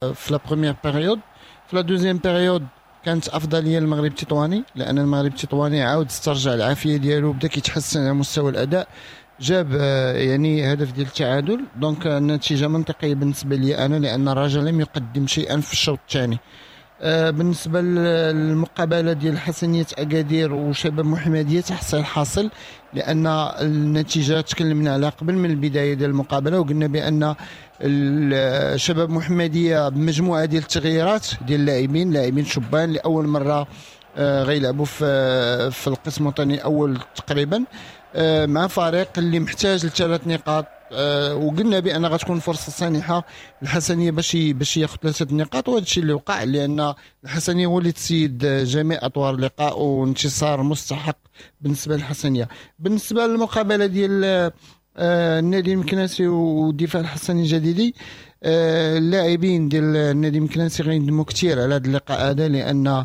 في la première période. في la deuxième période كانت افضلية للمغرب التطواني، لان المغرب التطواني عاود استرجع العافية ديالو، بدا كيتحسن على مستوى الاداء، جاب يعني هدف ديال التعادل. donc النتيجة منطقية بالنسبة لي انا، لان الرجاء لم يقدم شيئا في الشوط الثاني. بالنسبة للمقابله ديال حسنيه اكادير وشباب محمديه تحصيل حاصل، لان النتيجة تكلمنا عليها قبل من البداية ديال المقابلة، وقلنا بان الشباب محمديه بمجموعه ديال التغييرات ديال اللاعبين، لاعبين شبان لاول مرة غيلعبوا في القسم الوطني الاول تقريبا، مع فريق اللي محتاج لثلاث نقاط. وقلنا بان غتكون فرصة سانحه الحسنيه باش ياخذ 3 نقاط، وهذا الشيء اللي وقع، لان الحسنيه هو اللي تسيد جميع اطوار اللقاء، وانتصار مستحق بالنسبة للحسنيه. بالنسبة للمقابله ديال النادي المكناسي والدفاع الحسني الجديدي، اللاعبين ديال النادي المكناسي غيندموا كثير على هذا اللقاء هذا، لان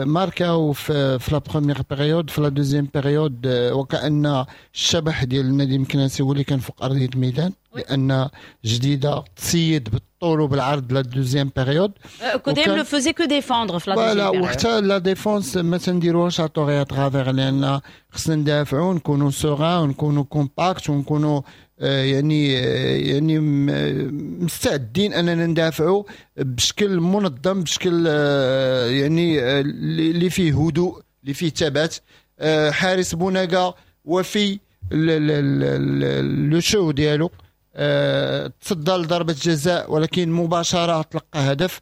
ماركاو في la première période، في la deuxième période وكأن الشبح ديال النادي المكناسي هو اللي كان فوق ارضية الميدان، لان جديدة تسيد بالطول وبالعرض la deuxième période. كوديم ne faisait que défendre في la deuxième période. وحتى la défense ما تنديروهاش à tort et à travers، لان خصنا ندافعوا، نكونوا sereins، ونكونوا compacts، ونكونوا يعني مستعدين اننا ندافعوا بشكل منظم، بشكل يعني اللي فيه هدوء، اللي فيه ثبات. حارس بوناغا وفي le show ديالو تصدى لضربه جزاء، ولكن مباشرة تلقى هدف.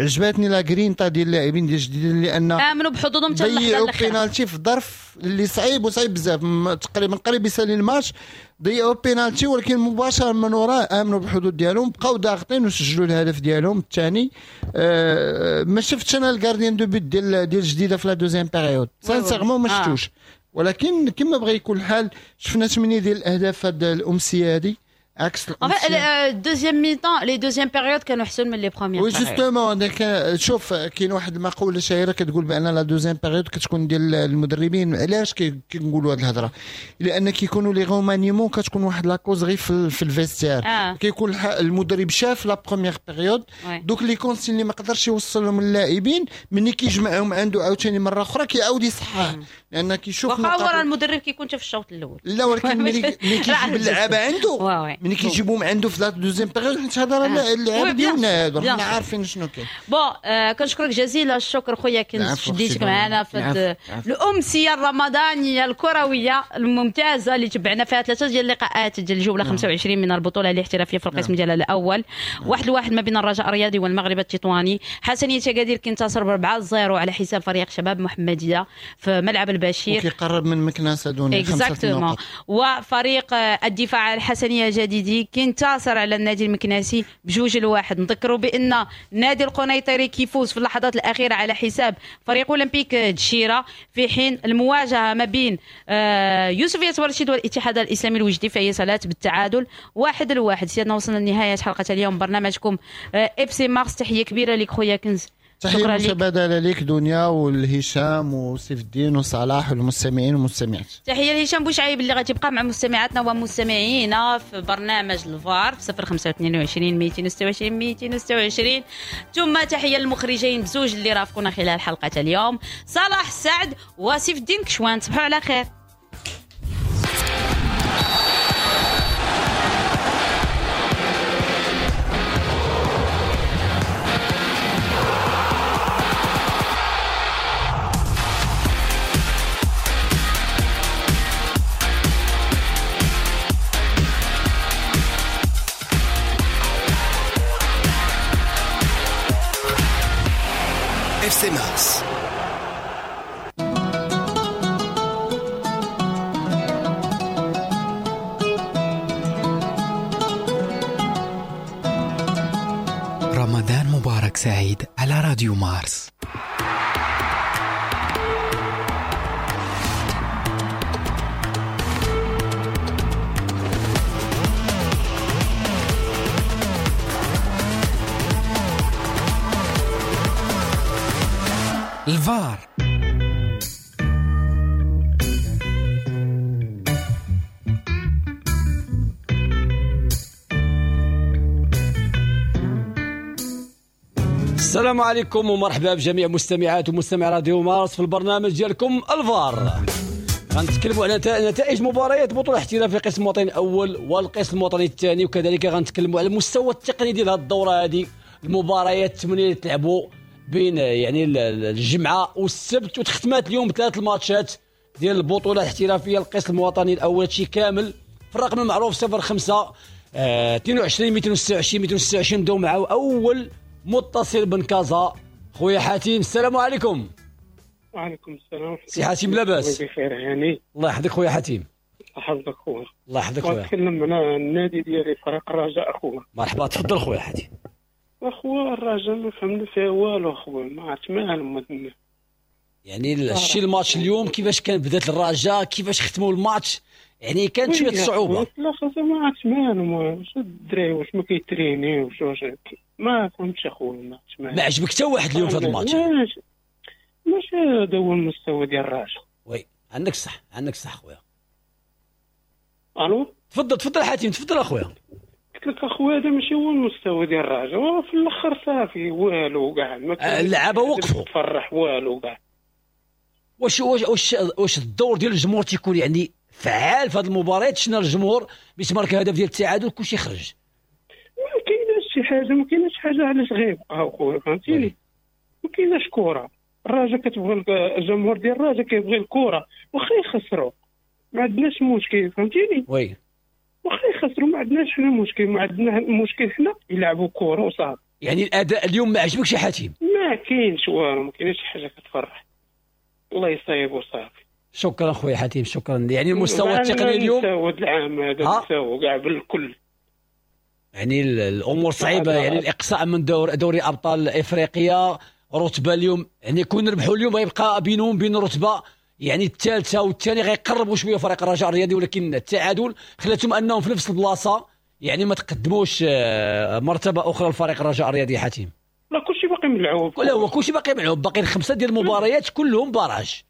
عجبتني la grinta ديال اللاعبين ديال الجديد، لان امنوا بحظوظهم حتى اللحظة الاخيرة. ضيعوا بينالتي في ظرف اللي صعيب وصعيب بزاف، تقريبا قريب يسالي الماتش، ضيعوا بينالتي، ولكن مباشرة من وراه امنوا بالحدود ديالهم، بقاو ضاغطين وسجلوا الهدف ديالهم الثاني. ما شفتش انا ال gardien de but ديال الجديدة في la deuxième période sincèrement ما شفتوش، ولكن كما بغى يكون الحال شفنا 8 ديال الاهداف هذه الامسيه هذه عكس deuxième mi-temps، les deuxièmes périodes كانوا احسن من les premières. oui justement، شوف كاين واحد المقولة شهيرة كتقول بان la deuxième période كتكون ديال المدربين. علاش كنقولوا هذه الهضرة؟ لان كيكونوا les remaniements، كتكون واحد la causerie في ال vestiaire. كيكون المدرب شاف la première période، دوك les consignes اللي ما قدرش يوصلهم للاعبين، ملي كيجمعهم عنده عاوتاني مرة اخرى كيعاود يصحح، لان كيشوف واخا هو راه المدرب كيكون حتى في الشوط الاول. لا ولكن ملي كيجيب اللعابه عنده، ملي كيجيبوهم عنده في la deuxième période، حيت هذا راه اللعابه ديالنا هادو، حنا عارفين شنو كاين. bon كنشكرك جزيل الشكر خويا كنت شديتك معنا في الامسيه الرمضانية الكروية الممتازة اللي تبعنا فيها 3 ديال اللقاءات ديال الجولة 25 من البطولة الاحترافية في القسم ديالها الاول. 1-1 ما بين الرجاء الرياضي والمغرب التطواني. حسنيه اكادير كينتصر ب 4-0 على حساب فريق شباب محمديه في ملعب البشير، وكيقرب من مكناسه دون 5 نقاط. وفريق الدفاع الحسنيه الجديدي كينتصر على النادي المكناسي ب2-1. نذكروا بان النادي القنيطري كيفوز في اللحظات الاخيرة على حساب فريق اولمبيك دشيره، في حين المواجهة ما بين يوسفيه ورشيد والاتحاد الاسلامي الوجدي فهي سالات بالتعادل 1-1. سيادنا وصلنا لنهاية حلقة اليوم برنامجكم FC Mars. تحية كبيرة لك خويا كنز، تحية متبادلة لك دنيا والهشام وسيف الدين وصلاح والمستمعين والمستمعات. تحية لهشام بوشعيب اللي غتبقى مع مستمعاتنا ومستمعينا في برنامج الفار في 0522 226 226. ثم تحية للمخرجين بزوج اللي رافقونا خلال حلقة اليوم، صلاح سعد وسيف الدين كشوان. تصبحوا على خير. FC Mars. رمضان مبارك سعيد على راديو مارس. الفار. السلام عليكم ومرحبا بجميع مستمعات ومستمع راديو مارس في البرنامج ديالكم الفار. غنتكلموا على نتائج مباريات بطولة الاحتراف في القسم الوطني الأول والقسم الوطني الثاني، وكذلك غنتكلموا على المستوى التقني ديال هذه الدورة هذه، المباريات الثمانية اللي تلعبوا بين يعني الجمعة والسبت، وتختمات اليوم بثلاث الماتشات ديال البطولة الاحترافية القسم الوطني الأول. شي كامل في الرقم المعروف 05 22 226 226. نبداو مع أول متصل بن كازا، خويا حاتم. السلام عليكم. وعليكم السلام. سي حاتم لاباس؟ بخير هاني. الله يحفظك خويا حاتم. يحفظك خويا. الله يحفظك خويا. نتكلم على النادي ديالي فريق الرجاء اخويا. مرحبا، تفضل خويا حاتم. اخويا الرجاء ما فهمنا فيها والو اخويا، ما عرفت مالهم. يعني الشيء الماتش اليوم كيفاش كان بدات الرجاء، كيفاش ختموا الماتش، يعني كانت شوية صعوبة. لا خاصة ما عرفت مالهم، واش الدراري واش ما كيترينيوش، واش ما فهمتش اخويا. ما عرفتش ما عجبك حتى واحد اليوم في هذا الماتش؟ ماشي هذا هو المستوى ديال الرجاء. oui عندك صح، عندك صح خويا. الو تفضل تفضل حاتم، تفضل اخويا. قلت لك اخويا هذا ماشي هو المستوى ديال الرجاء، في الاخر صافي والو كاع، اللعابه وقفوا تفرح والو كاع. واش واش واش الدور ديال الجمهور تيكون يعني فعال في هذه المباريات؟ شفنا الجمهور باش مارك هدف ديال التعادل كلشي خرج. ما كايناش شي حاجة، ما كايناش حاجة علاش غيبقاو خويا، فهمتيني؟ ما كايناش كره. الرجاء كتبغي، الجمهور ديال الرجاء كيبغي الكره واخا يخسروا، ما عندناش مشكل، فهمتيني؟ oui واخا يخسروا ما عندناش حنا مشكل، ما عندنا مشكل حنا يلعبوا كره وصافي. يعني الاداء اليوم ما عجبكش يا حاتم؟ ما كاينش والو، ما كاينش شي حاجة كتفرح. الله يصايب وصافي. شكرا خويا حاتم، شكرا. يعني المستوى التقني اليوم، المستوى العام هذا المستوى كاع بالكل، يعني الامور صعيبة، يعني الاقصاء من دوري ابطال افريقيا، رتبه اليوم يعني كون ربحوا اليوم غيبقى بينهم بين رتبه يعني الثالثة والثاني، غيقربوا شوية فريق الرجاء الرياضي، ولكن التعادل خلاتهم انهم في نفس البلاصة، يعني ما تقدموش مرتبه اخرى لفريق الرجاء الرياضي. حاتم لا كلشي باقي ملعوب، لا هو كلشي باقي ملعوب، باقي خمسة ديال المباريات كلهم barrage.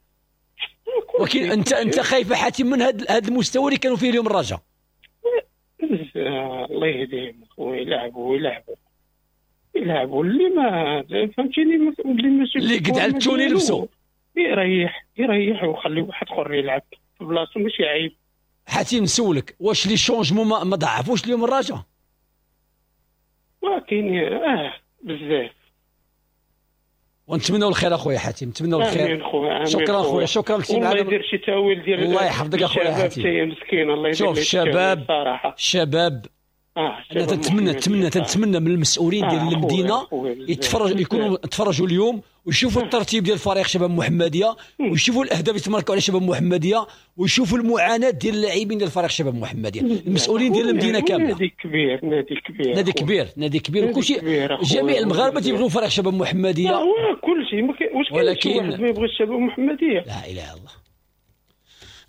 ولكن انت خايف حاتم من هذا المستوى اللي كانوا فيه اليوم الرجاء؟ الله يهديهم خويا، يلعبوا يلعبوا يلعبوا اللي ما فهمتيني، اللي ماشي اللي قد على التوني لبسو يريح يريح وخلي واحد اخر يلعب في بلاصتو، ماشي عيب. حاتم نسولك، واش les changements ما ضعفوش اليوم الرجاء؟ ولكن بزاف. ونتمنوا الخير اخويا حاتم، نتمنوا الخير. شكرا خويا، شكرا لك. الله يدير شي تاويل ديال، الله يحفظك اخويا حاتم. مسكين الله يدير. شوف الشباب الشباب انا تنتمنى تنتمنى تنتمنى من المسؤولين ديال المدينة يتفرج، يكونوا تفرجوا اليوم ويشوفوا الترتيب ديال فريق شباب محمديه، ويشوفوا الاهداف اللي تماركوا على شباب محمديه، ويشوفوا المعاناة ديال اللاعبين ديال فريق شباب محمديه، المسؤولين ديال المدينة كاملة. نادي كبير، نادي كبير، نادي كبير، نادي كبير، وكلشي جميع المغاربة تيبغيو فريق شباب محمديه. هو كلشي، واش ولكن ما يبغيش شباب محمديه؟ لا اله الا الله.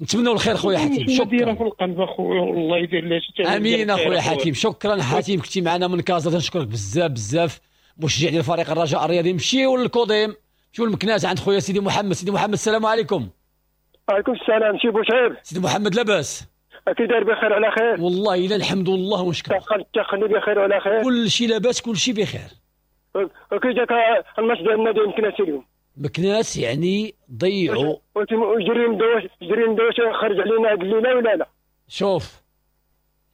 نتمنوا الخير خويا حاتم، شكرا. في القلب اخويا، والله يدير لها شي. امين اخويا حاتم، شكرا حاتم، كنتي معنا من كازا، تنشكرك بزاف بزاف. مشجع ديال فريق الرجاء الرياضي. مشيو للكوديم، مشيو للمكناس عند خويا سيدي محمد. سيدي محمد السلام عليكم. وعليكم السلام سي بوشعيب. سيدي محمد لاباس؟ كي داير؟ بخير على خير والله الا الحمد لله ونشكر. التقني بخير وعلى خير، كل شيء لاباس، كل شيء بخير. كي جاك الماتش ديال النادي مكناس اليوم؟ مكناس يعني ضيعوا. جري ندوش خرج علينا هاد الليلة ولا لا؟ شوف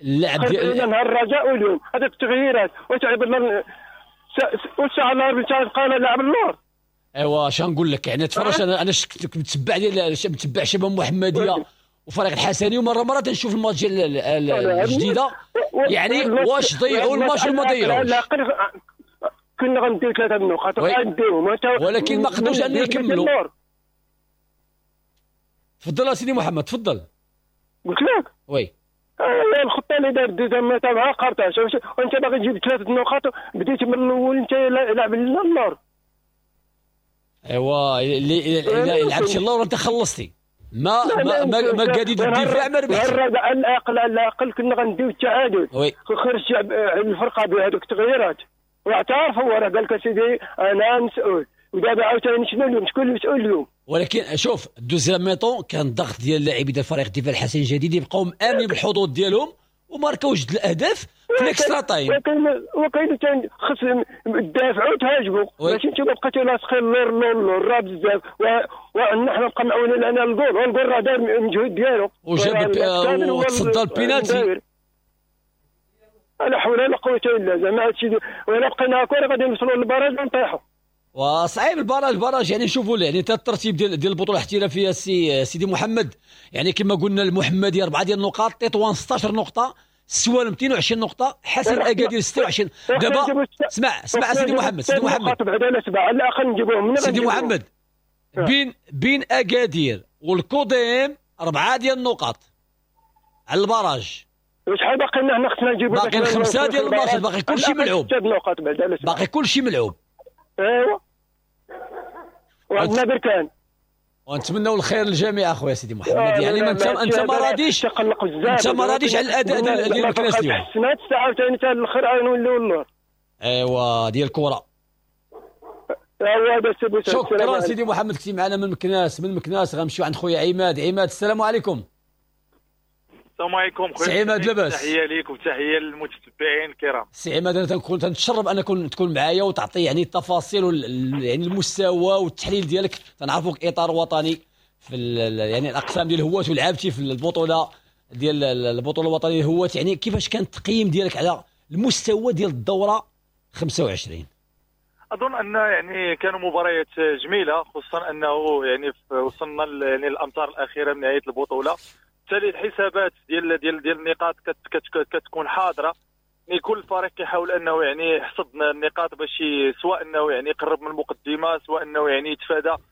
اللعب ديال نهار الرجاء واليوم هذوك التغييرات، واش عيب الله والساعة الاربع تاع لاعب اللور. ايوا اش نقول لك، يعني تفرج انا شفت متبع ديال متبع شباب محمديه وفريق الحسني، ومرة مرة تنشوف الماتش ديال الجديدة، يعني واش ضيعوا الماتش ولا ما ضيعوش؟ كنا غنديو 3 النقاط غنديوهم، ولكن ما قدروش ان يكملوا. تفضل سيدي محمد، تفضل. قلت لك oui الخطة اللي دار deuxième تاعها قرطاش، وانت باغي تجيب 3 النقاط، بديت من الاول انت لاعب اللور. ايوا اللي لعبتي اللور انت خلصتي، ما ما ما, ما قادي الدفاع ما ربحتي. على الاقل على الاقل كنا غنديو التعادل. خرج الفرقة بهذوك التغييرات واعترف هو، راه قال لك اسيدي انا مسؤول، ودابا عاوتاني شنو اليوم؟ شكون المسؤول اليوم؟ ولكن شوف ال deuxième mi-temps كان ضغط ديال اللاعبين ديال فريق الدفاع الحسني الجديد يبقاو مامنين بالحظوظ ديالهم، وماركاو جوج الاهداف في l'extra time. وكاين ثاني خص تدافعوا وتهاجموا، ماشي انتم بقيتوا لاصقين اللور اللور راه بزاف، وحنا بقى معولين على الجول، والجول راه دار المجهود ديالو وجاب وتصدى البينالتي. لا حول ولا قوة الا زعما هادشي، ولا بقينا هكا غادي نوصلوا لل barrage ونطيحوا. وصعيب ال barrage، ال barrage يعني شوفوا يعني حتى الترتيب ديال البطولة الاحترافية سيدي محمد، يعني كما قلنا المحمدية 4 ديال النقاط، تطوان 16 نقطة، السوالم 22 نقطة، حسن اكادير 26. دابا اسمع سيدي محمد، سيدي محمد على الاقل نجيبوهم سيدي محمد، بين اكادير والكوديم 4 ديال النقاط على ال barrage. شحال باقي لنا؟ حنا خصنا نجيبو باقي 5 ديال الماتشات، باقي كلشي ملعوب، باقي كلشي ملعوب. ايوا وعندنا بركان، ونتمنوا الخير للجميع اخويا سيدي محمد. يعني ما انت ما راضيش، انت ما راضيش على الاداء ديال المكناس اليوم. حسنات الساعة عاوتاني حتى الاخر نوليو اللور. ايوا ديال الكره. شكرا سيدي محمد، كنتي معنا من مكناس. من مكناس غنمشيو عند خويا عماد. عماد السلام عليكم. السلام عليكم خويا سي عماد، لاباس؟ تحية ليك وتحية للمتتبعين الكرام. سي عماد، انا تنكون تنتشرف انك تكون معايا وتعطي يعني التفاصيل يعني المستوى والتحليل ديالك. تنعرفوك اطار وطني في يعني الاقسام ديال الهواة، ولعبتي في البطولة ديال البطولة الوطنية الهواة. يعني كيفاش كان التقييم ديالك على المستوى ديال الدورة 25؟ اظن ان يعني كانوا مباريات جميلة، خصوصا انه يعني وصلنا يعني الامتار الاخيرة من نهاية البطولة، بالتالي الحسابات ديال ديال ديال النقاط كتكون حاضره. يعني كل فريق كيحاول انه يعني يحصد النقاط باش سواء انه يعني يقرب من المقدمة، سواء انه يعني يتفادى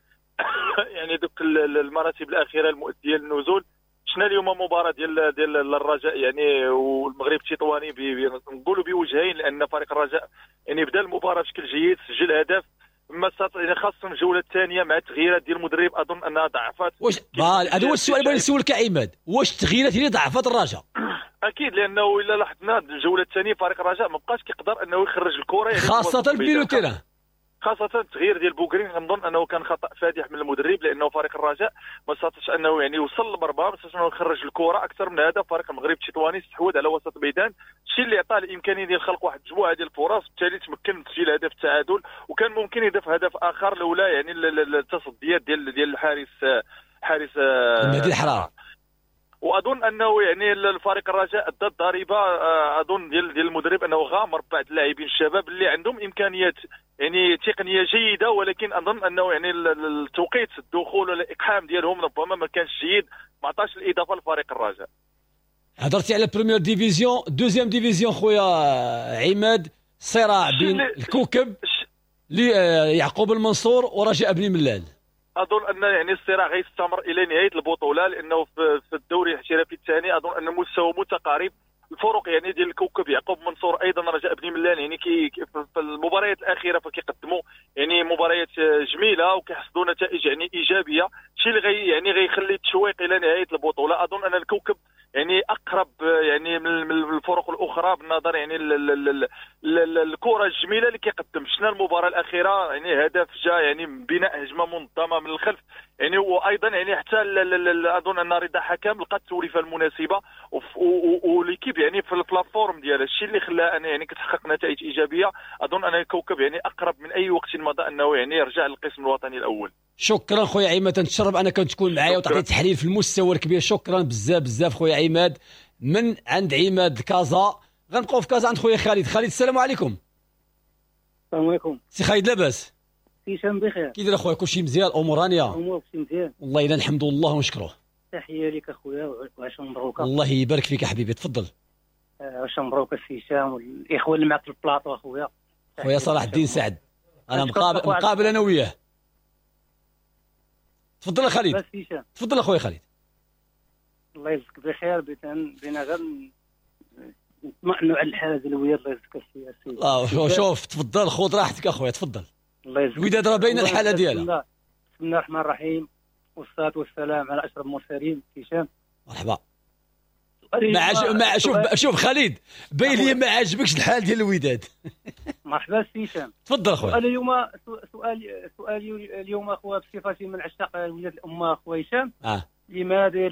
يعني دوك المراتب الاخيرة المؤدية للنزول. شفنا اليوم مباراة ديال الرجاء يعني والمغرب التطواني نقولوا بوجهين، لان فريق الرجاء يعني بدا المباراة بشكل جيد، سجل هدف، ما خاصة الجولة الثانية مع التغييرات ديال المدرب اظن انها ضعفت. واش هذا هو السؤال اللي بغيت نسولك عماد، واش التغييرات اللي ضعفت الرجاء؟ اكيد، لانه الا لاحظنا الجولة الثانية فريق الرجاء ما بقاش كيقدر انه يخرج الكره، يعني خاصة في milieu terrain، خاصة التغيير ديال بوكرين كنظن انه كان خطأ فادح من المدرب، لانه فريق الرجاء ما استطاعش انه يعني يوصل للمرمى، ما استطاعش انه يخرج الكرة اكثر من هذا. فريق المغرب التطواني استحوذ على وسط الميدان، الشيء اللي عطاه الامكانية ديال خلق واحد المجموعة ديال الفرص، بالتالي تمكن من تسجيل هدف التعادل، وكان ممكن يضيف هدف اخر لولا يعني التصديات ديال الحارس حارس المهدي الحرار. واظن انه يعني الفريق الرجاء ادى الضريبة اظن ديال المدرب انه غامر بعض اللاعبين الشباب اللي عندهم امكانيات يعني تقنية جيدة، ولكن اظن انه يعني التوقيت الدخول ولا الاقحام ديالهم ربما ما كانش جيد، ما عطاش الاضافة لفريق الرجاء. هضرتي على première division، deuxième division خويا عماد، صراع بين الكوكب يعقوب المنصور ورجاء بني ملال. اظن ان يعني الصراع غيستمر الى نهاية البطولة، لانه في الدوري الاحترافي الثاني اظن ان المستوى متقارب. الفرق يعني ديال الكوكب يعقوب منصور ايضا رجاء بني ملال يعني في المباريات الاخيرة فكيقدموا يعني مباريات جميلة وكيحصدوا نتائج يعني ايجابية، الشيء اللي يعني غيخلي التشويق الى نهاية البطولة. اظن ان الكوكب يعني اقرب يعني من الفرق الاخرى بالنظر يعني الكره الجميلة اللي كيقدم. شفنا المباراة الاخيرة يعني هدف جاء يعني بناء هجمة منظمة من الخلف، يعني وايضا يعني حتى اظن ان رضا حكم لقى التوليفه المناسبة و l'équipe يعني في la forme ديالها، الشيء اللي خلاه ان يعني كتحقق نتائج ايجابية. اظن ان الكوكب يعني اقرب من اي وقت مضى انه يعني يرجع للقسم الوطني الاول. شكرا خويا عماد، تنتشرف انك تكون معايا وتعطي تحليل في المستوى الكبير. شكرا بزاف بزاف خويا عماد. من عند عماد كازا غنبقاو في كازا عند خويا خالد. خالد السلام عليكم. السلام عليكم سي خالد، لاباس؟ هشام بخير، كي داير اخويا؟ كلشي مزيان، امور هانيه؟ امور كلشي مزيان والله الا، الحمد لله ونشكروه. تحية لك اخويا وعشان مبروك. الله يبارك فيك حبيبي، تفضل. عشان مبروك السي هشام والاخوة اللي معك في البلاطو اخويا. خويا صلاح الدين سعد، انا مقابل انا وياه. تفضل يا خالد. تفضل اخويا خالد. الله يجزيك بخير، بينا غير نطمئنوا على الحالة ديال الوداد. الله يجزيك السي. شوف تفضل، خذ راحتك اخويا، تفضل. الله يجزيك. الوداد راه باينة الحالة ديالها. بسم الله الرحمن الرحيم والصلاة والسلام على اشرف المرسلين. هشام مرحبا. شوف خالد، باين لي ما عاجبكش الحال ديال الوداد. مرحبا سي هشام. تفضل اخويا. اليوم سؤالي اليوم اخويا بصفتي من عشاق الوداد الامة اخويا هشام. لماذا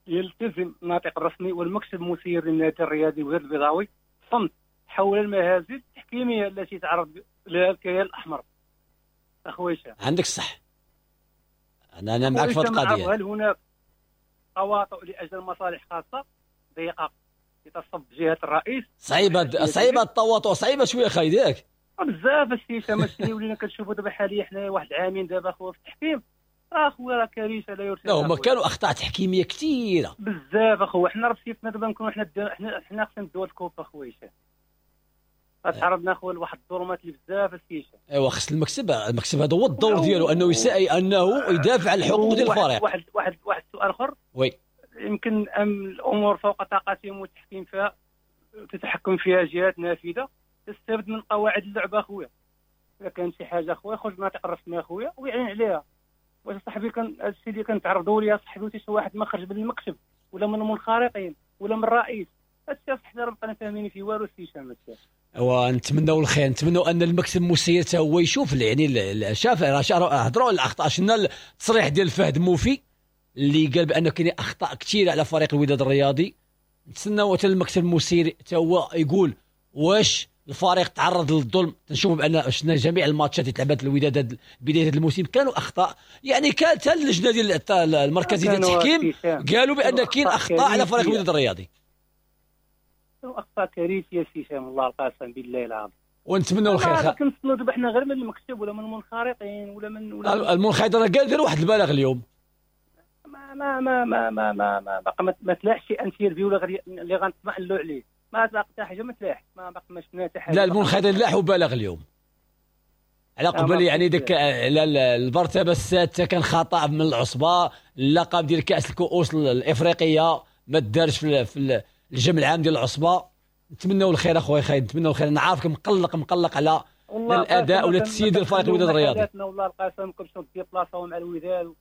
يلتزم الناطق الرسمي والمكتب المسير للنادي الرياضي الوداد البيضاوي الصمت حول المهازل التحكيميه التي تعرض لها الكيان الاحمر؟ اخويا هشام عندك الصح، انا معك في القضية. هل هناك تواطؤ لاجل مصالح خاصة ضيقه يتصب جهة الرئيس؟ صعيبة التواطؤ، صعيبة شوية خالد ياك بزاف السي هشام. الشيء ولينا كنشوفوا دابا حاليا حنا واحد عامين دابا اخويا في التحكيم، اخويا راه كارثة لا يرثى. لا هما كانوا اخطاء تحكيميه كثيرة بزاف اخويا. حنا راه بسيفنا دابا نكونوا حنا خصنا ندوها ال coupe اخويا هشام. تعرضنا اخويا لواحد الظلمات اللي بزاف السي هشام. ايوا خص المكتب هذا هو الدور ديالو، انه انه يدافع على الحقوق ديال الفريق. واحد واحد السؤال اخر، oui، يمكن الامور فوق طاقتهم والتحكيم فيها تتحكم فيها جهات نافذة تستفد من قواعد اللعبة اخويا. اذا كان شي حاجة اخويا خرج الناطق الرسمي اخويا ويعلن عليها. واش صاحبي كان هادشي اللي كنتعرضوا ليه صاحبي، حتى شي واحد ما خرج من المكتب ولا من المنخرطين ولا من الرئيس، هادشي صاحبي راه بقينا فاهمين فيه والو السي هشام. ونتمنوا الخير، نتمنوا ان المكتب المسير حتى هو يشوف، يعني شاف هضروا على الاخطاء. شفنا التصريح ديال فهد موفي اللي قال بان كاين اخطاء كثيرة على فريق الوداد الرياضي. نتسناو حتى المكتب المسير حتى هو يقول واش الفريق تعرض للظلم. تنشوفوا بان شفنا جميع الماتشات اللي تلعبت الوداد بداية هذا الموسم كانوا اخطاء، يعني كانت حتى اللجنة ديال المركزية ديال التحكيم قالوا بان كاين اخطاء على فريق الوداد الرياضي. اخطاء كارثية سي هشام الله القسم بالله العظيم. ونتمنوا الخير. كنتسناو دابا حنا غير من المكتب ولا من المنخرطين ولا من المنخرطين. قال داروا واحد البلاغ اليوم، ما ما ما ما ما ما ما ما تلاحش شي interview ولا اللي غنطمئنوا عليه، ما تلاقى حتى حاجة، ما تلاح، ما باقي ما شفنا حتى حاجة. لا المنخرطين لاحوا بلاغ اليوم على قبل، يعني ديك على المرتبة السادسة كان خطا من العصبة، اللقب ديال كاس الكؤوس الافريقية ما دارش في الجمع العام ديال العصبة. نتمنوا الخير اخويا خالد، نتمنوا الخير. انا عارفك مقلق على الاداء ولا التسيير ديال فريق الوداد الرياضي. والله القسم كنمشيو ديبلاصاو مع الوداد،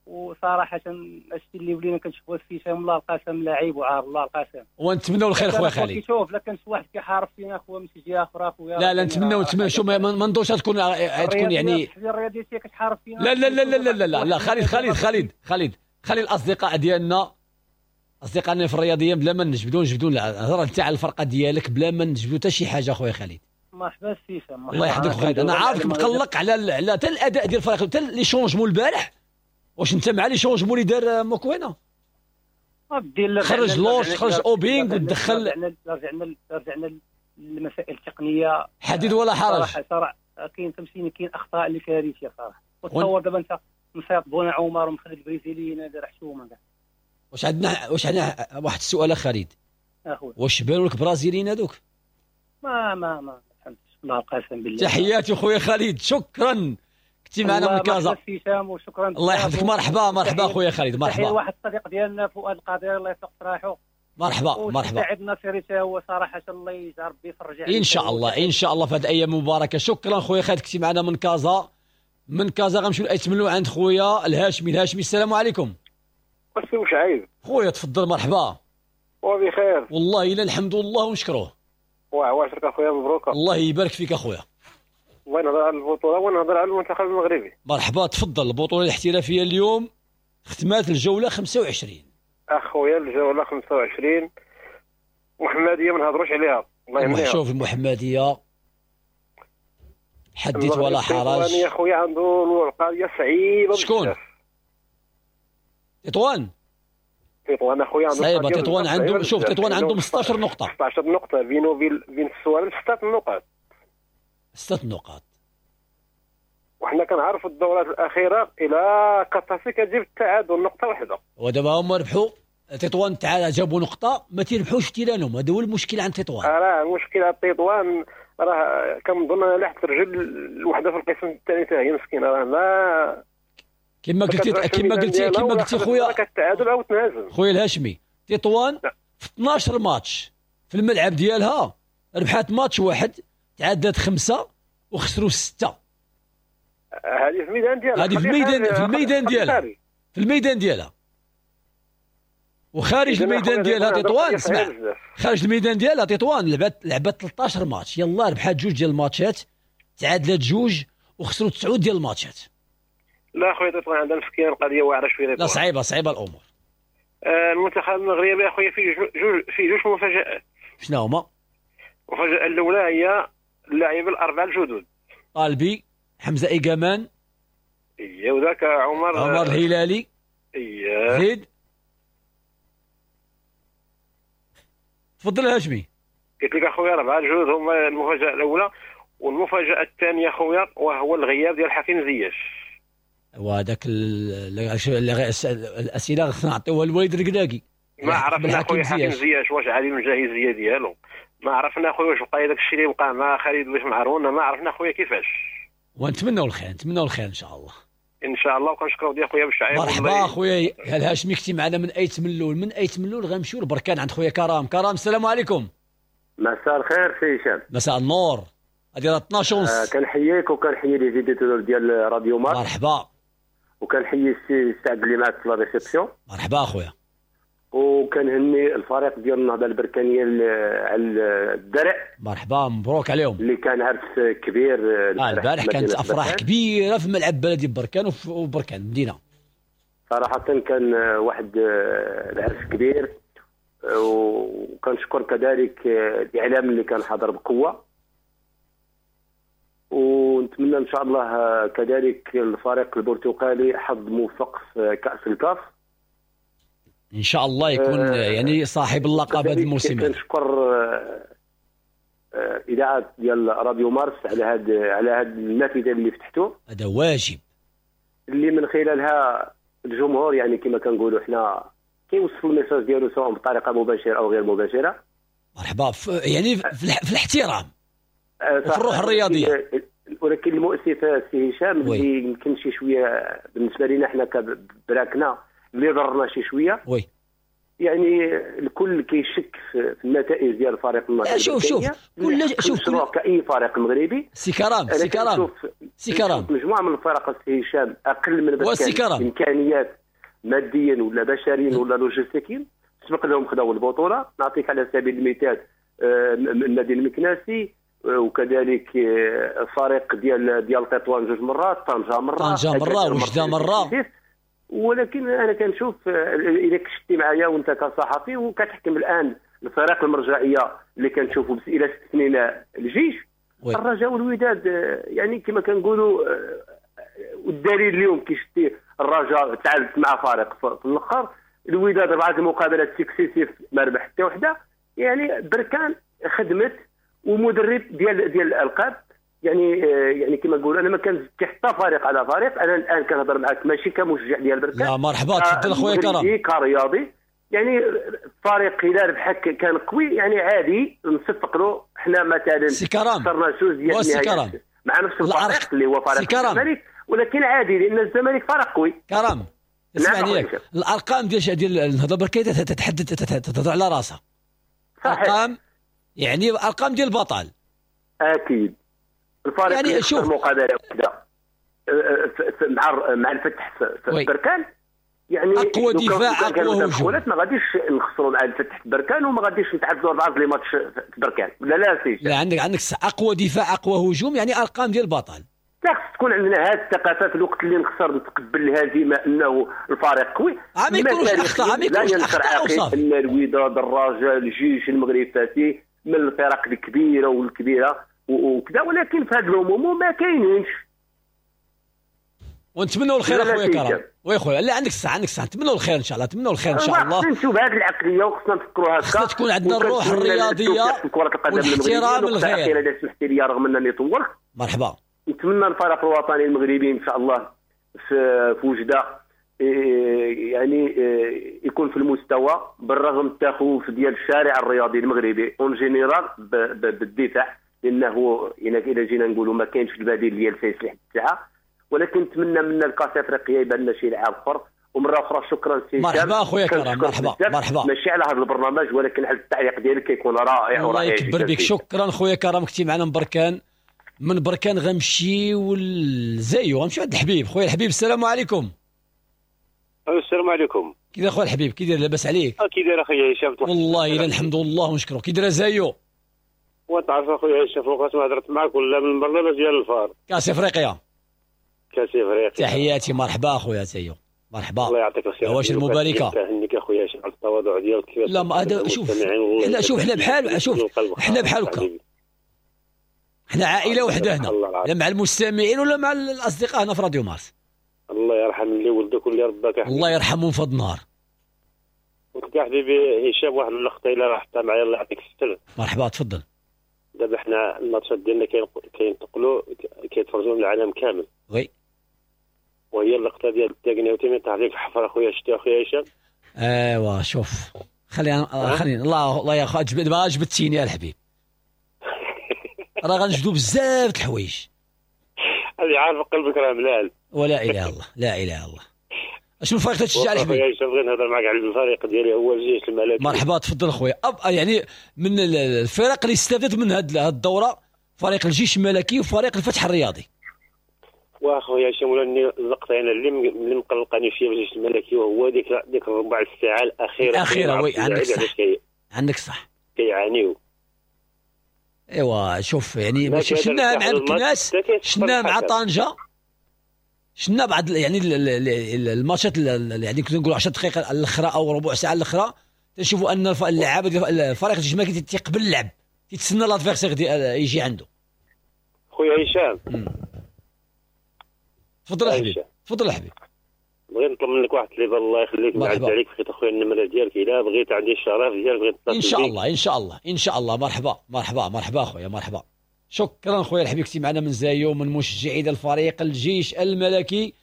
وصراحة هادشي اللي ولينا كنشوفوه في هشام الله القسم لعيب وعار الله القسم. ونتمنوا الخير خويا خالد. كيشوف لا كان شي واحد كيحارب فينا خويا من شي جهة اخرى خويا. لا لا نتمنوا شو ما نظنش تكون يعني الرياضية كتحارب فينا. لا لا لا لا لا لا لا خالد خالد خالد خالد خلي الاصدقاء ديالنا، اصدقائنا في الرياضية، بلا ما نجبدوا هضر انت على الفرقة ديالك بلا ما نجبدوا حتى شي حاجة خويا خالد. مرحبا سي هشام. الله يحفظك خالد. انا عارفك مقلق على حتى الاداء ديال الفريق، حتى les changements البارح. واش انت مع les changements اللي دار موكوينا؟ خرج لوش، خرج اوبينغ ودخل. رجعنا للمسائل التقنية، حديد ولا حرج. صراحة كاين فهمتيني، كاين اخطاء اللي كارثية صراحة. وتصور دابا انت مصيط بونا عمر ومخلي البرازيليين هذا راه حشومه كاع. واش عندنا واحد السؤال خالد اخويا، واش بانوا لك برازيليين هذوك؟ ما ما ما فهمتش الله القسم بالله. تحياتي خويا خالد، شكرا كنتي معنا من كازا. وشكرا الله يحفظك. مرحبا مرحبا خويا خالد، مرحبا. واحد الصديق ديالنا فؤاد القادر الله يطلق سراحو. مرحبا مرحبا. سعيد الناصري حتى هو صراحة الله يجعل ربي يفرج عليه ان شاء الله، ان شاء الله في هذه الايام المباركة. شكرا خويا خالد كنتي معنا من كازا. من كازا غنمشيو لايتملو عند خويا الهاشمي. الهاشمي السلام عليكم. السي وشعيب خويا تفضل. مرحبا. وبخير والله الا الحمد لله ونشكروه. وعواشرك اخويا مبروك. الله يبارك فيك اخويا. الله نهضر على البطولة ونهضر على المنتخب المغربي. مرحبا تفضل. البطولة الاحترافية اليوم ختمات الجولة 25. اخويا الجولة 25 محمديه ما نهضروش عليها، الله يهنيها. شوف المحمدية حديث ولا حرج. يا خويا عنده القضية صعيبة. شكون؟ تطوان. تطوان اخويا عنده صعيبة. تطوان عنده، شوف تطوان عندهم 16 نقطة. 16 نقطة بينه وبين السوالم 6 نقاط. 6 نقاط. وحنا كنعرفوا الدورات الاخيرة الى كطاسي كتجيب التعادل نقطة واحدة. ودابا هما ربحوا تطوان، تعال جابوا نقطة ما تيربحوش تيرانهم. هذا هو المشكل عند تطوان. راه المشكل عند تطوان راه كنظن انا لاحت الرجل الوحدة في القسم الثاني حتى هي مسكينه، راه ما كما قلتي خويا كتعادل او تنهزم. خويا الهاشمي تطوان في 12 ماتش في الملعب ديالها ربحات ماتش واحد، تعادلت 5 وخسروا 6. هذه في الميدان ديالها، هذه في الميدان ديالها، في الميدان ديالها وخارج الميدان ديالها تطوان. اسمع، خارج الميدان ديالها تطوان لعبت 13 ماتش، يلا ربحات 2 ديال الماتشات، تعادلت 2 وخسروا 9 ديال الماتشات. لا خويا تطوان عندها مسكين القضية واعرة شوية. لا صعيبة، صعيبة الامور. المنتخب المغربي اخويا فيه جوج مفاجآت. شنو هما؟ المفاجاة الاولى هي اللاعبين الاربعة الجدد، طالبي، حمزة ايكامان، اييه، وذاك عمر الهلالي، اييه، زيد. تفضل هاشمي. قلت لك اخويا اربعة الجدد هما المفاجاة الاولى، والمفاجاه الثانية خويا وهو الغياب ديال حكيم زياش. وهذاك الاسئلة خصنا نعطيوها للوالد الركراكي. ما عرفنا خويا حكيم زياش واش عالي من الجاهزيه ديالو، ما عرفنا خويا واش بقى داك الشيء اللي وقع مع خالد باش معرونا، ما عرفنا خويا كيفاش. ونتمنوا الخير، نتمنوا الخير ان شاء الله. ان شاء الله. وكنشكروا ديال خويا بالشعيب. مرحبا خويا الهاشمي، كنتي معنا من ايت ملول. من ايت ملول غنمشيو لبركان عند خويا كرام. كرام السلام عليكم. مساء الخير سي هشام. مساء النور. هذه راه 12:30. كنحييك وكنحيي les auditeurs ديال راديو مارس. مرحبا. وكنحيي السي سعد اللي معك في la réception. مرحبا اخويا. وكنهني الفريق ديال النهضة البركانيه على الدرع. مرحبا، مبروك عليهم. اللي كان عرس كبير البارح، كانت افراح كبيرة في ملعب بلدي بركان وبركان مدينة. صراحة كان واحد العرس كبير، وكنشكر كذلك الاعلام اللي كان حاضر بقوة، ونتمنى ان شاء الله كذلك الفريق البرتقالي حظ موفق في كاس الكاف ان شاء الله، يكون يعني صاحب اللقب هذا الموسم. كنشكر اذاعة ديال راديو مارس على هذه النافذة اللي فتحتو، هذا واجب، اللي من خلالها الجمهور يعني كما كنقولوا حنا كيوصل ال message ديالو سواء بطريقة مباشرة او غير مباشرة. مرحبا، يعني في الاحترام وفي الروح الرياضية. ولكن المؤسف سي هشام اللي يمكن شي شوية بالنسبة لنا حنا كبراكنا اللي ضرنا شي شوية، oui، يعني الكل كيشك في النتائج ديال فريق النهضة. شوف كل شوف كاي فريق مغربي. سي كرام، سي كرام، سي كرام، مجموعة من الفرق سي هشام اقل من بركان امكانيات ماديا ولا بشريا ولا لوجستيكيا، سبق لهم خداو البطولة. نعطيك على سبيل المثال النادي المكناسي، وكذلك فريق ديال تطوان جوج مرات، طنجه مرة، وجده مرة. ولكن انا كنشوف اذا كشتي معايا وانت كصحفي وكتحكم الان الفرق المرجعية اللي كنشوفوا بس الى استثنينا الجيش، الرجاء والوداد، يعني كما كنقولوا. والدليل اليوم كي شتي الرجاء تعادلت مع فريق في الاخر، الوداد اربعة المقابلات successives ما ربح حتى وحده. يعني بركان خدمت ومدرب ديال الالقاب، يعني كما نقول انا ما كنزكي حتى فريق على فريق. انا الان كنهضر معاك ماشي كمشجع ديال بركان. لا مرحبا، تفضل خويا كرم. كرياضي يعني فريق الا ربحك كان قوي يعني عادي نصفق له. حنا مثلا خسرنا جوج ديال النهائيات مع نفس الفريق اللي هو فريق الزمالك، ولكن عادي لان الزمالك فريق قوي. كرم اسمعني ياك، الارقام ديال النهضة البركانيه تتحدث تهضر على راسها. ارقام يعني ارقام ديال البطل اكيد. الفريق يعني شوف مقابله وحده مع الفتح في بركان، يعني اقوى دفاع اقوى هجوم، ما غاديش نخسروا مع الفتح في بركان وما غاديش نتعادلوا اربعة les matchs في بركان. لا لا سي، لا عندك اقوى دفاع اقوى هجوم، يعني ارقام ديال البطل. خص تكون عندنا هذه الثقافة في الوقت اللي نخسر نتقبل الهزيمة انه الفريق قوي، ما يكونوش اخطاء، ما يكونوش اخطاء. ان الوداد، الرجاء، الجيش، المغرب فاتي من الفرق الكبيرة والكبيرة وكذا، ولكن في هذا العموم ما كاينينش. ونتمنوا الخير اخويا كرم. oui خويا، لا عندك الصح، عندك الصح، نتمنوا الخير ان شاء الله، نتمنوا الخير ان شاء الله. خصنا نشوف هذه العقلية وخصنا نفكروا هكا، خصنا تكون عندنا الروح الرياضية والاحترام الغير. اذا سمحتي لي رغم انني طولت. مرحبا. نتمنى الفريق الوطني المغربي ان شاء الله في وجده يعني يكون في المستوى، بالرغم التخوف ديال الشارع الرياضي المغربي en général بالدفاع، لانه الى جينا نقولوا ما كاينش البديل ديال سايس لحد الساعة. ولكن نتمنى من الكاس افريقيا يبان لنا شي لاعب اخر. ومرة اخرى شكرا سي هشام. مرحبا اخويا كرم، مرحبا مرحبا. ماشي على هذا البرنامج ولكن على التعليق ديالك كيكون رائع ورائع. الله يكبر بك. شكرا خويا كرم، كنتي معنا من بركان. من بركان غنمشيو لزايو، غنمشيو عند الحبيب. خويا الحبيب السلام عليكم. السلام عليكم. كي داير خويا الحبيب؟ كي داير؟ لاباس عليك؟ كي داير اخويا هشام؟ والله الا الحمد لله ونشكرو. كي داير زايو؟ وتعرف اخويا هشام فوقاش ما هضرت معاك ولا من البرنامج ديال الفار كاس افريقيا. كاس افريقيا. تحياتي، مرحبا اخويا زايو. مرحبا. الله يعطيك الخير. عواشر المباركة. كنهنيك اخويا هشام على التواضع ديالك. لا ما هذا شوف حنا، شوف حنا بحال، شوف حنا بحال هكا، حنا عائلة وحده هنا، لا مع المستمعين ولا مع الاصدقاء هنا في راديو مارس. الله يرحم اللي ولدك واللي رباك. الله يرحمهم في هذا النهار. قلت يا حبيبي هشام واحد اللقطة الا راحت معايا الله يعطيك الستر. مرحبا تفضل. دابا حنا الماتشات ديالنا كينتقلوا كيتفرجوا من العالم كامل. oui. وهي اللقطة ديال التاكناوتي من طاح فيك الحفرة اخويا، شتي اخويا هشام؟ ايوا شوف خلينا خلينا الله الله يا خو دابا جبدتيني يا الحبيب. راه غنجبدو بزاف د الحوايج. هذه عارف قلبك راه ملال. ولا اله الا الله، لا اله الا الله. اشنو الفريق تشجع الحبيب؟ خويا بغيت نهضر معاك على الفريق ديالي هو الجيش الملكي. مرحبا تفضل خويا. يعني من الفرق اللي استفادت من هذه الدورة فريق الجيش الملكي وفريق الفتح الرياضي. واخويا هشام ولا اللقطة انا اللي مقلقاني فيها الجيش الملكي وهو ديك الربع الساعة الاخيرة. oui عندك صح، عندك صح، كيعانيو. ايوا شوف يعني شفناها مع الكناس، شفناها مع طنجه، شفنا بعض يعني الماتشات يعني كنت نقول 10 دقائق الاخرى او ربع ساعة الاخرى تنشوفوا ان اللعابه ديال الفريق الجيش الملكي تيقبل اللعب، تيتسنى l'adversaire يجي عنده. خويا هشام تفضل حبيبي، تفضل حبيبي. بغيت نطلب منك واحد الليفه الله يخليك، نعد عليك بخيت اخويا النمرة ديالك الا بغيت، عندي الشرف ديالك بغيت نتصل. ان شاء الله ان شاء الله ان شاء الله. مرحبا مرحبا مرحبا خويا مرحبا. شكرا خويا الحبيب كنتي معنا من زايو، من مشجعي الفريق الجيش الملكي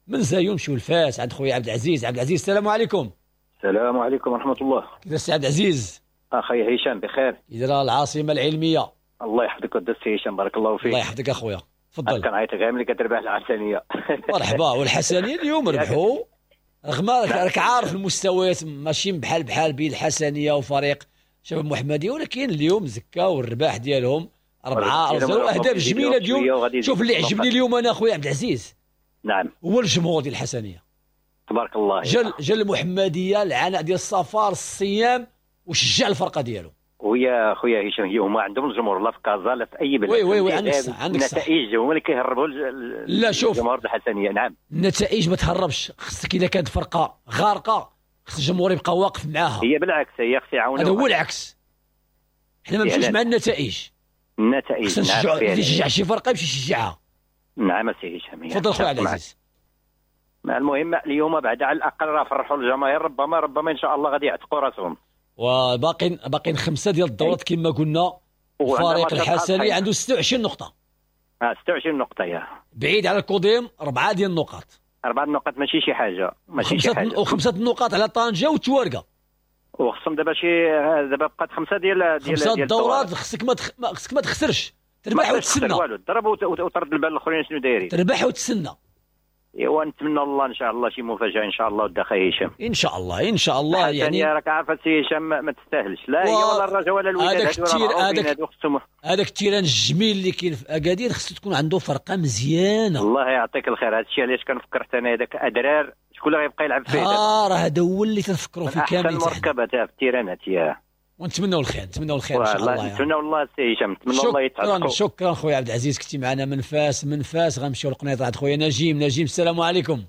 من زايو. نمشيو لفاس عند خويا عبد العزيز. عبد العزيز السلام عليكم. السلام عليكم ورحمة الله. كيف السي عبد العزيز؟ اخي هشام بخير. كي العاصمة العلمية؟ الله يحفظك ودي السي هشام بارك الله فيك. الله يحفظك اخويا تفضل. كنعيط غير ملي كتربح الحسنيه. مرحبا. والحسنيه اليوم ربحوا رغم راك عارف المستويات ماشي بحال بحال بين الحسنيه وفريق شباب محمديه، ولكن اليوم زكاو الرباح ديالهم 4-0 اهداف جميلة اليوم. شوف اللي عجبني اليوم انا اخويا عبد العزيز، نعم، هو الجمهور ديال الحسنيه تبارك الله. جا المحمدية العناء ديال السفر الصيام وشجع الفرقة ديالو. ويا خويا هشام هما عندهم الجمهور لا في كازا لا في اي بلد. oui oui oui عندك صح، عندك صح. النتائج هما اللي كيهربوا. لا شوف الجمهور الحسنيه، نعم، النتائج ما تهربش، خصك الا كانت فرقه غارقة خص الجمهور يبقى واقف معاها. هي بالعكس هي خص يعاونوا. هذا هو العكس، حنا ما نمشيوش مع النتائج. النتائج خصنا نشجعوا، اللي يشجع شي فرقه يمشي يشجعها. نعم سي هشام تفضل خويا عبد العزيز. المهم اليوم بعد على الاقل راه فرحوا الجماهير، ربما ان شاء الله غادي يعتقوا راسهم. وباقيين 5 ديال الدورات كما قلنا. الفريق الحسني عنده 26 نقطة. 26 نقطة يا بعيد على الكوديم 4 ديال النقاط. 4 النقاط ماشي شي حاجة، ماشي شي حاجة. وخمسة النقاط على طنجة والتوارقة. وخصهم دابا شي دابا بقات 5 ديال 5 الدورات. خصك ما تخسرش، تربح وتسنى. والو ضرب وترد البال الاخرين شنو دايرين. تربح وتسنى. ايوا نتمنى الله ان شاء الله شي مفاجاة ان شاء الله ودي اخي هشام. ان شاء الله ان شاء الله. يعني راك عارف السي هشام ما تستاهلش لا هي ولا الرجاء ولا الوداد. هذاك ال terrain الجميل اللي كاين في اكادير خصو تكون عنده فرقه مزيانه. الله يعطيك الخير. هذا الشيء علاش كنفكر حتى انا هذاك ادرار شكون اللي غيبقى يلعب فيه؟ راه هذا هو اللي تنفكروا فيه كامل. احسن مركبة في التيرانات يا. ونتمنوا الخير، نتمنوا الخير ان شاء الله. نتمنوا الله السي هشام، نتمنى الله يتعطيكم. شكرا خويا عبد العزيز كنتي معنا من فاس. من فاس غنمشيو للقنيطره عند خويا نجيم. نجيم السلام عليكم.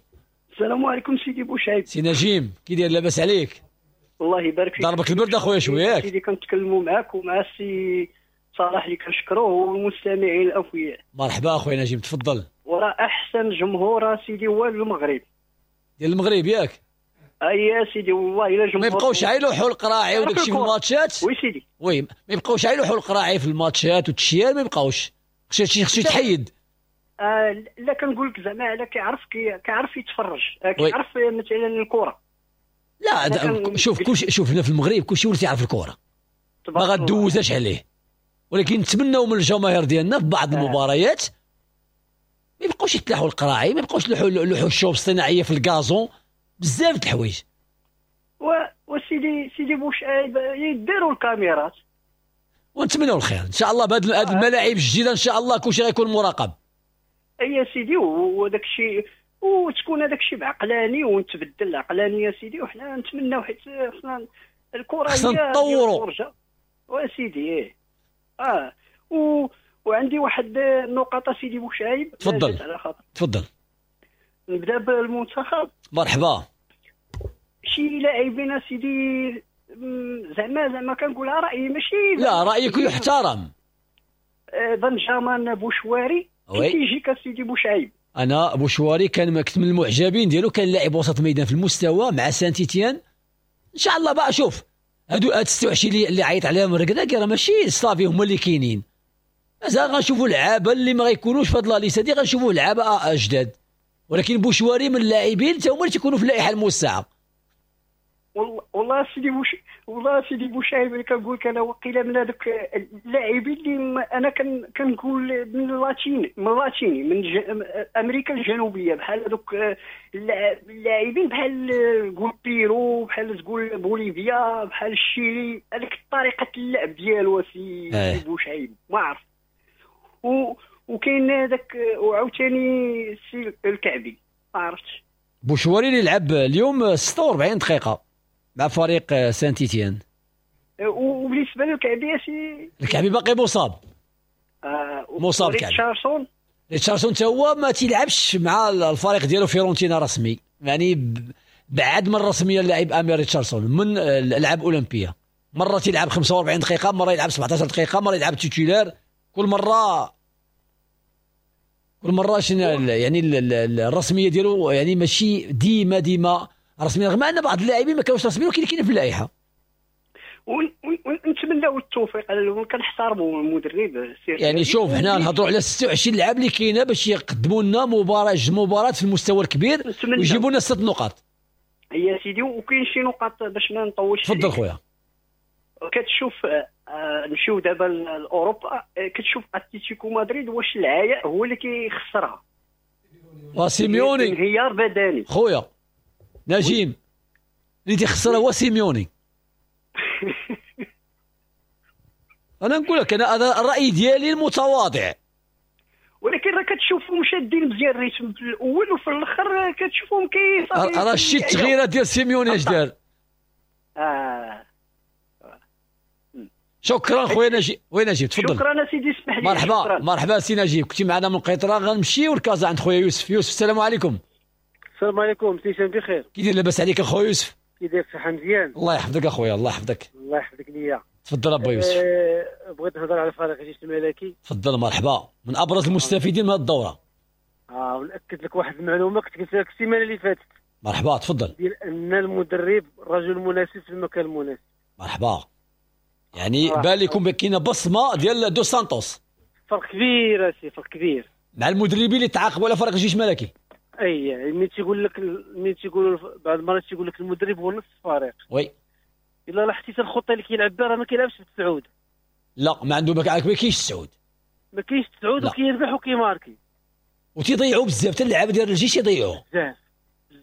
السلام عليكم سيدي بوشعيب. سي نجيم كي داير لاباس عليك؟ الله يبارك فيك. ضربك البرد اخويا شوية ياك؟ سيدي كنتكلموا معاك ومع السي صلاح اللي كنشكروه والمستمعين الاوفياء. مرحبا اخويا نجيم تفضل. وراه احسن جمهور سيدي هو المغرب. ديال المغرب ياك؟ اي يا سيدي والله الا جمهور ما يبقاوش يلوحوا القراعي وداك الشيء في الماتشات. oui سيدي oui ما يبقاوش يلوحوا القراعي في الماتشات والتشيال ما يبقاوش، خصو يتحيد. لا كنقول لك زعما على كيعرف يتفرج، كيعرف مثلا الكره. لا شوف كلشي، شوف هنا في المغرب كلشي ولا تيعرف الكره، ما غدوزاش عليه. ولكن نتمناو من الجماهير ديالنا في بعض المباريات ما يبقاوش يتلاحوا القراعي، ما يبقاوش يلوحوا الشوب الصناعية في ال gazon، بزاف د الحوايج. وسيدي سيدي بوشعيب يديروا الكاميرات. ونتمنوا الخير ان شاء الله بهاد الملاعب الجديدة ان شاء الله كلشي غيكون مراقب. اي سيدي وداك الشيء وتكون هذاك الشيء بعقلاني ونتبدل العقلانية سيدي. وحنا نتمناو حيت خصنا الكره خصنا نطوروا وسيدي ايه وعندي واحد النقطة سيدي بوشعيب. تفضل تفضل. نبدا بالمنتخب. مرحبا. شي لاعبين سيدي زعما كنقولها رايي ماشي، لا رايك يحترم. بنجامان بوشواري كيجيك سيدي بوشعيب. انا بوشواري كان كنت من المعجبين ديالو، كان لاعب وسط ميدان في المستوى مع سانتيتيان. ان شاء الله بقى شوف هادو 26 اللي عيط عليهم الركراكي راه ماشي صافي هما اللي كاينين، مازال غنشوفوا لعابه اللي ما غيكونوش في هاد la liste هادي، غنشوفوا لعابه جداد. ولكن بوشواري من اللاعبين حتى هما اللي تيكونوا في اللائحة الموسعه. والله سيدي والله سيدي بوشعيب اللي كنقول لك انا وقيله من هذوك اللاعبين اللي انا كنقول من اللاتيني من امريكا الجنوبية، بحال هذوك اللاعبين بحال تقول بيرو، بحال تقول بوليفيا، بحال الشيلي، هذيك طريقه اللعب ديالو سي بوشعيب ما عرفت. وكاين هذاك وعاوتاني سي الكعبي ما عرفتش. بوشواري اللي لعب اليوم 46 دقيقة مع فريق سانتيتيان. وبالنسبة للكعبي سي الكعبي باقي مصاب. مصاب الكعبي. ريتشاردسون حتى هو ما تيلعبش مع الفريق ديالو فيورنتينا رسمي، يعني بعد من الرسمية اللاعب امير ريتشاردسون من الالعاب الاولمبية، مرة تيلعب 45 دقيقة، مرة يلعب 17 دقيقة، مرة يلعب titulaire، كل مرة شنو يعني الرسمية ديالو يعني ماشي ديما رسميا، رغم ان بعض اللاعبين ما كانوش رسميين ولكن كاينين في اللائحة. ونتمناو التوفيق، كنحترموا المدرب. يعني شوف حنا نهضروا على 26 لاعب اللي كاينه باش يقدموا لنا مباراة في المستوى الكبير ويجيبوا لنا 6 نقاط. يا سيدي وكاين شي نقاط باش ما نطولش. تفضل خويا. كتشوف نمشيو دابا لاوروبا، كتشوف اتلتيكو مدريد واش العياء هو اللي كيخسرها. وسيميوني انهيار بدني خويا نجيم اللي تيخسرها هو سيميوني. انا نقول لك انا هذا الراي ديالي المتواضع، ولكن راه كتشوفهم شادين مزيان ال rythme في الاول وفي الاخر كتشوفهم كي راه شتي التغييرات ديال سيميوني اش دار. شكرا خويا نجيب. وين نجيب تفضل. شكرا سيدي اسمح لي. مرحبا. شكرا. مرحبا سي نجيب، كنتي معنا من قيطره. غنمشيو لكازا عند خويا يوسف. يوسف السلام عليكم. السلام عليكم سي هشام، بخير؟ كي داير لاباس عليك اخويا يوسف؟ كي داير صحة مزيان؟ الله يحفظك اخويا، الله يحفظك. الله يحفظك ليا. تفضل ابا يوسف. بغيت نهضر على فريق الجيش الملكي. تفضل مرحبا، من ابرز المستفيدين من هذه الدورة. ونأكد لك واحد المعلومة كنت قلتها لك السيمانة اللي فاتت. مرحبا تفضل. ديال ان المدرب رجل مناسب في المكان المناسب. مرحبا. يعني بان لكم كاينه بصمة ديال دو سانتوس. فرق كبير سي، فرق كبير مع المدربين اللي تعاقبوا على فريق الجيش الملكي. اي ملي تيقول لك، ملي تيقولوا بعض المرات تيقول لك المدرب هو نص الفريق. oui الا لاحظتي الخطة اللي كيلعب بها راه ما كيلعبش بالتسعود. لا ما عنده، ما كاينش التسعود، ما كاينش التسعود وكيربح وكيماركي وتيضيعوا بزاف حتى اللعابه ديال الجيش يضيعوا بزاف.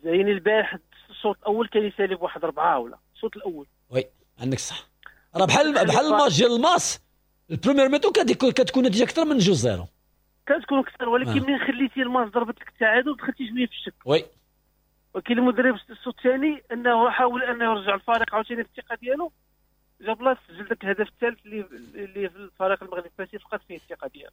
يعني البارح الشوط الاول كان يسالي بواحد 4 ولا الشوط الاول. oui عندك صح، راه بحال الماتش ديال الماس ال première mi-temps كتكون النتيجة اكثر من 2-0 كتكون اكثر، ولكن من خليتي الماس ضربت لك التعادل دخلتي شوية في الشك. oui ولكن المدرب الشوط الثاني انه حاول انه يرجع الفريق عاوتاني في الثقة ديالو، جاب لا سجل ذاك الهدف الثالث اللي في الفريق المغرب الفاسي فقد فيه الثقة ديالو،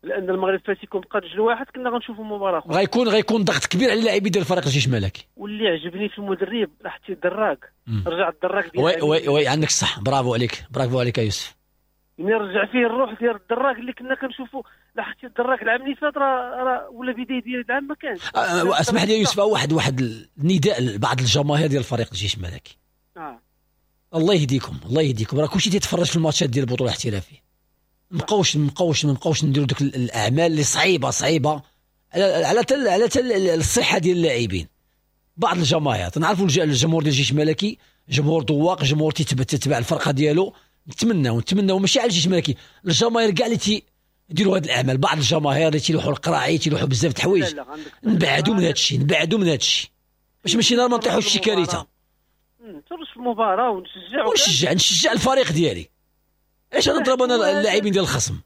لان المغرب الفاسي كون بقى 2-1 كنا غنشوفوا مباراة اخرى. غيكون ضغط كبير على اللاعبين ديال فريق الجيش الملكي. واللي عجبني في المدرب لاحظتي الدراك، رجع الدراك ديال oui oui oui عندك الصح، برافو عليك، برافو عليك يا يوسف. ملي رجع فيه الروح ديال الدراك اللي كنا كنشوفوا، لاحظتي الدراك العام اللي فات راه ولا بداية ديال العام ما كانش. اسمح لي يا يوسف، واحد النداء لبعض الجماهير ديال فريق الجيش الملكي. الله يهديكم، الله يهديكم، راه كلشي تيتفرج في الماتشات ديال البطولة الاحترافية. مابقاوش نديروا دوك الاعمال اللي صعيبة على الصحة ديال اللاعبين. بعض الجماهير تنعرفوا الجمهور ديال الجيش الملكي جمهور ذواق، جمهور تتبع الفرقة ديالو. نتمناو ماشي على الجيش الملكي، الجماهير كاع اللي تيديروا هذه الاعمال، بعض الجماهير اللي تيلوحوا القراعي، تيلوحوا بزاف د الحوايج. نبعدوا من هذا الشيء، نبعدوا من هذا الشيء باش ماشي نهار ما نطيحوش شي كارثة. نتفرج في المباراة ونشجع نشجع الفريق ديالي. علاش نضرب انا اللاعبين ديال الخصم؟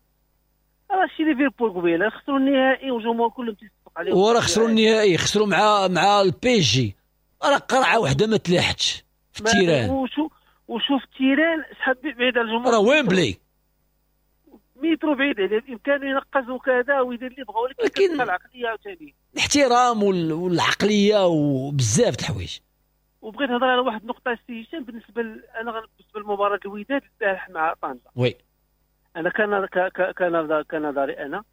راه شي ليفربول قبيلة خسروا النهائي والجمهور كلهم تيصفق عليهم، وراه خسروا النهائي، خسروا مع ال PSG، راه قرعه وحده ما تلاحتش في ال terrain. وشوف ال terrain شحال بعيد على الجمهور، راه ويمبلي مترو بعيد عليه، بامكانه ينقز وكذا ويدير اللي بغا، ولكن كتبقى العقلية عاوتاني، الاحترام والعقلية وبزاف د الحوايج. وبغيت نهضر على واحد النقطة سي هشام، بالنسبة انا بالنسبة لمباراة الوداد البارح مع طنجه. oui انا كنظري انا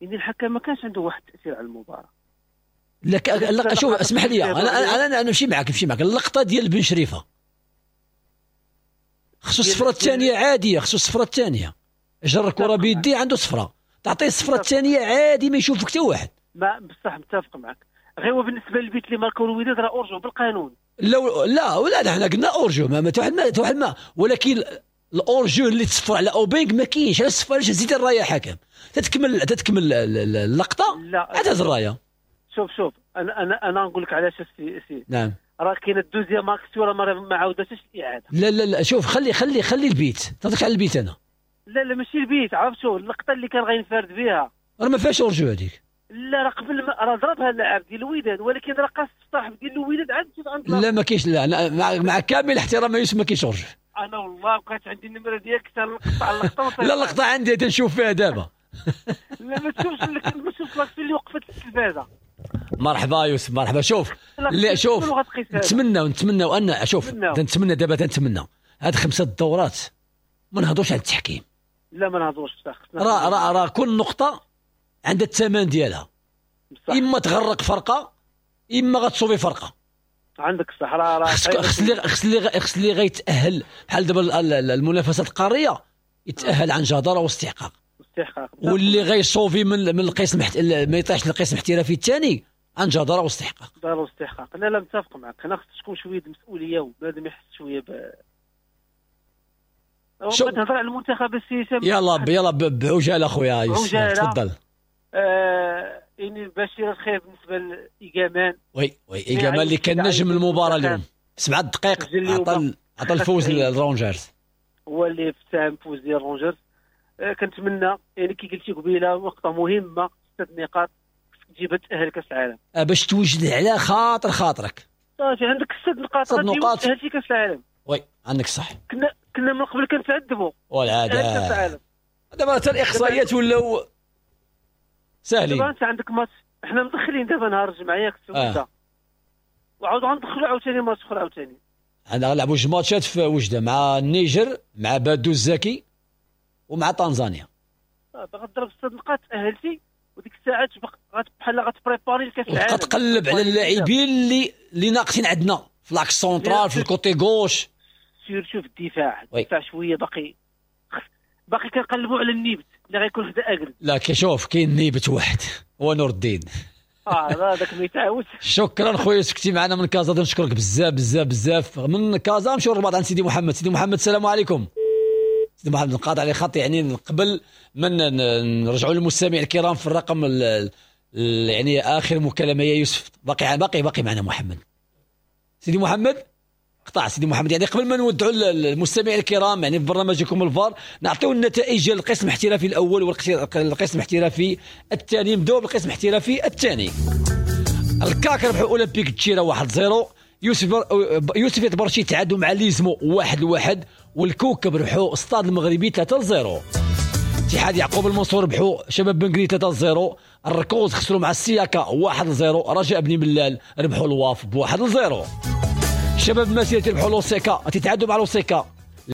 ان الحكم ما كانش عنده واحد التاثير على المباراة. لا شوف اسمح لي، انا نمشي معك، اللقطة ديال بن شريفه خصو الصفرة الثانية عادية، خصو الصفرة الثانية، جر الكره بيدي عنده صفرة، تعطيه الصفرة الثانية عادي ما يشوفك حتى واحد. ما بصح متفق معك، غير هو بالنسبة للبيت اللي ماركو الوداد راه hors-jeu بالقانون. لا لا لا حنا قلنا hors-jeu، ما واحد ما، ولكن ال hors-jeu اللي تصفر على اوبينغ ما كاينش. علاش تصفر؟ علاش زيد الراية حكم؟ تتكمل اللقطة عاد هز الراية. شوف انا نقول لك علاش سي. نعم راه كاينه ال deuxième action راه ما عاودتش الاعادة. لا لا لا شوف خلي خلي خلي البيت، تهضرك على البيت انا. لا لا ماشي البيت، عرفتو اللقطة اللي كان غينفرد بها راه ما فيهاش hors-jeu هذيك. لا راه قبل راه ضربها اللاعب ديال الوداد، ولكن راه قاس الصاحب ديال الوداد عند لا ما كاينش. لا مع كامل الاحترام يوسف ما كاينش hors-jeu. انا والله بقيت عندي النمرة ديالك تنقطع اللقطة. لا اللقطة عندي تنشوف فيها دابا. لا ما تشوفش، ما تشوفش l'action اللي وقفت التلفازه. مرحبا يوسف مرحبا. شوف لا شوف نتمنى ان شوف تنتمنى دابا، تنتمنى هاد 5 دورات ما نهضروش على التحكيم. لا ما نهضروش بصح، راه راه راه كل نقطة عندها الثمن ديالها، اما تغرق فرقه اما غتصوفي فرقه. عندك الصح، راه خص اللي غيتاهل بحال دابا المنافسات القارية يتاهل عن جداره واستحقاق، واللي غيصوفي من القسم ما يطيحش للقسم الاحترافي الثاني عن جداره واستحقاق. جداره واستحقاق. لا لا متفق معك، هنا خص تكون شوية المسؤولية وبنادم يحس شوية ب نهضر على المنتخب السي. يلا يلا بعجاله خويا يوسف تفضل. يعني بشير الخير بالنسبة لايجامان. oui oui ايجامان اللي كان نجم المباراة اليوم 7 دقائق عطى الفوز للرونجرز، هو اللي ساهم فوز ديال الرونجرز. كنتمنى يعني كي قلتي قبيلة نقطة مهمة، 6 نقاط تجيبها تاهل كاس العالم باش توجد على خاطر خاطرك. صافي عندك 6 نقاط، 6 نقاط تاهلتي كاس العالم. oui عندك صح، كنا من قبل كنتعذبوا والعادة كاس العالم. دابا حتى الاقصائيات ولاو ساهلين. دابا انت عندك ماتش، حنا مدخلين دابا نهار الجمعة ياك وجده، وعاود غندخلوا عاوتاني ماتش اخر عاوتاني. عندنا غنلعبوا جوج ماتشات في وجده، مع النيجر مع بادو الزكي ومع تنزانيا. غتضرب 6 نقاط تاهلتي، وديك الساعة تبقى بحال غت préparer لكاس العالم، وتبقى تقلب على اللاعبين اللي ناقصين عندنا في l'axe central، في ال côté gauche، surtout في الدفاع. الدفاع شوية باقي كنقلبوا على النيبت اللي غيكون حدا اكل. لا كيشوف كاين نيبت واحد هو نور الدين. هذاك ما يتعاودش. شكرا خويا سكتي معنا من كازا، نشكرك بزاف بزاف بزاف. من كازا نمشيو للرباط عند سيدي محمد. سيدي محمد السلام عليكم. سيدي محمد نقاطع على خط، يعني قبل ما نرجعوا للمستمع الكرام في الرقم يعني اخر مكالمة يا يوسف، باقي باقي معنا محمد. سيدي محمد قطع سيدي محمد. يعني قبل ما نودعوا المستمعين الكرام يعني في برنامجكم الفار، نعطيو النتائج ديال القسم الاحترافي الاول والقسم الاحترافي الثاني. نبداو بالقسم الاحترافي الثاني. الكاك ربحوا اولمبيك تشيرا 1-0، يوسف يتبرشي تعادلوا مع ليزمو 1-1، والكوكب ربحوا استاد المغربي 3-0. اتحاد يعقوب المنصور ربحوا شباب بنكري 3-0، الركوز خسروا مع السياكا 1-0، رجاء بني ملال ربحوا الواف ب 1-0. شباب مسيرة ربحوا لوسيكا تتعادلوا مع لوسيكا